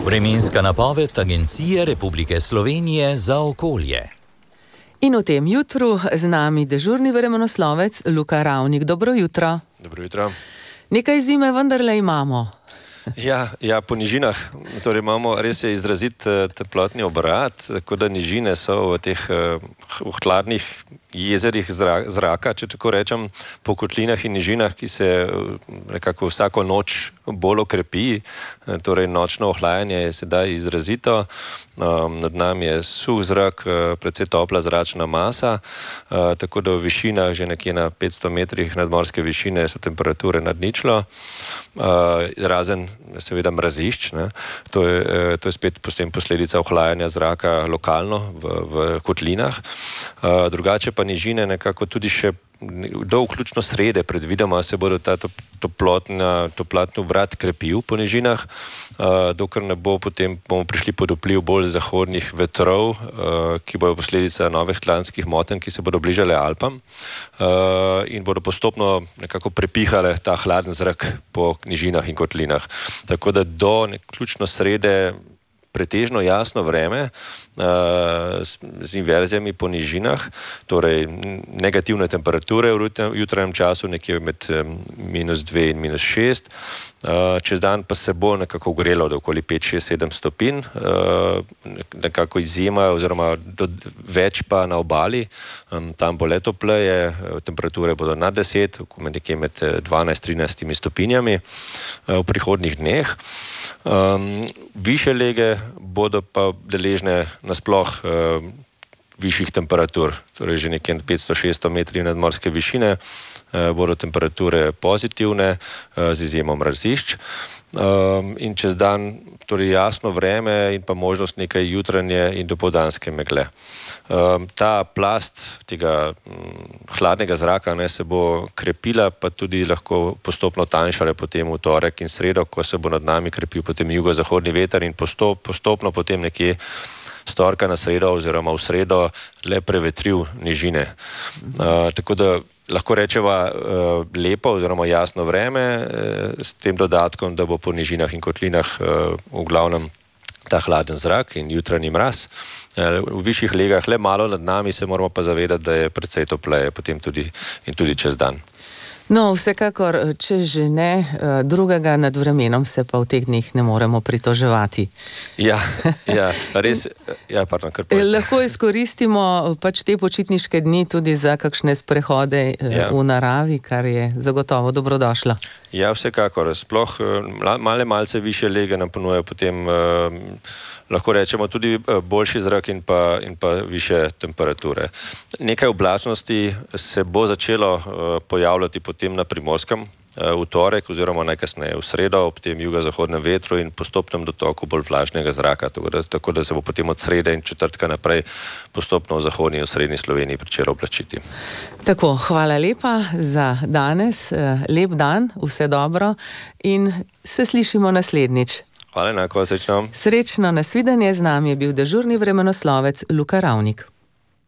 Vremenska napoved Agencije Republike Slovenije za okolje. In v tem jutru z nami dežurni vremenoslovec Luka Ravnik. Dobro jutro. Dobro jutro. Nekaj zime vendarle imamo. Ja, po nižinah. Torej imamo res izrazit toplotni obrat, tako da nižine so v teh hladnih jezerih zraka, če tako rečem, po kotlinah in nižinah, ki se nekako vsako noč bolj okrepi. Torej nočno ohlajanje je sedaj izrazito. Nad nami je suh zrak, precej topla zračna masa, tako da v višinah, že nekje na 500 metrih nadmorske višine, so temperature nad ničlo. Razen seveda mrazišč, ne. To je spet posledica ohlajanja zraka lokalno v kotlinah. Drugače pa nižine nekako tudi še do vključno srede predvidoma se bodo ta toplotni obrat krepil po nižinah, dokler ne bo, potem bomo prišli pod vpliv bolj zahodnih vetrov, ki bodo posledica novih hladnih motenj, ki se bodo bližale Alpam, in bodo postopno nekako prepihale ta hladen zrak po nižinah in kotlinah. Tako da do vključno srede pretežno jasno vreme z inverzijami po nižinah, torej negativne temperature v jutranjem času, nekje med -2 in -6. Čez dan pa se bo nekako ogrelo do okoli 5, 6, 7 stopinj, nekako izjema oziroma več pa na obali, tam bo le topleje, temperature bodo nad 10, nekje med 12-13 stopinjami v prihodnjih dneh. Višje lege bodo pa deležne nasploh višjih temperatur, torej že nekje 500-600 metri nadmorske višine bodo temperature pozitivne z izjemo mrazišč. In čez dan torej jasno vreme in pa možnost nekaj jutranje in dopoldanske megle. Ta plast tega hladnega zraka se bo krepila, pa tudi lahko postopno tanjšala potem v torek in sredo, ko se bo nad nami krepil potem jugozahodni veter in postopno potem nekje s torka na sredo oziroma v sredo le prevetril nižine. Tako da lahko rečeva lepo oziroma jasno vreme s tem dodatkom, da bo po nižinah in kotlinah v glavnem ta hladen zrak in jutranji mraz. V višjih legah le malo nad nami, se moramo pa zavedati, da je precej topleje potem tudi čez dan. No, vsekakor, če že ne drugega, nad vremenom se pa v teh dneh ne moremo pritoževati. Ja, res, pardon, kar povedi. Lahko izkoristimo pač te počitniške dni tudi za kakšne sprehode v naravi, kar je zagotovo dobrodošlo. Ja, vsekakor. Sploh malce višje lege nam ponujajo potem lahko rečemo tudi boljši zrak in pa višje temperature. Nekaj oblačnosti se bo začelo pojavljati potem na Primorskem v torek oziroma najkasneje v sredo ob tem jugozahodnem vetru in postopnem dotoku bolj vlažnega zraka, tako da se bo potem od srede in četrtka naprej postopno v zahodni in srednji Sloveniji pričelo oblačiti. Tako, hvala lepa za danes, lep dan, vse dobro in se slišimo naslednjič. Hvala enako, srečno. Srečno, nasvidenje, z nami je bil dežurni vremenoslovec Luka Ravnik.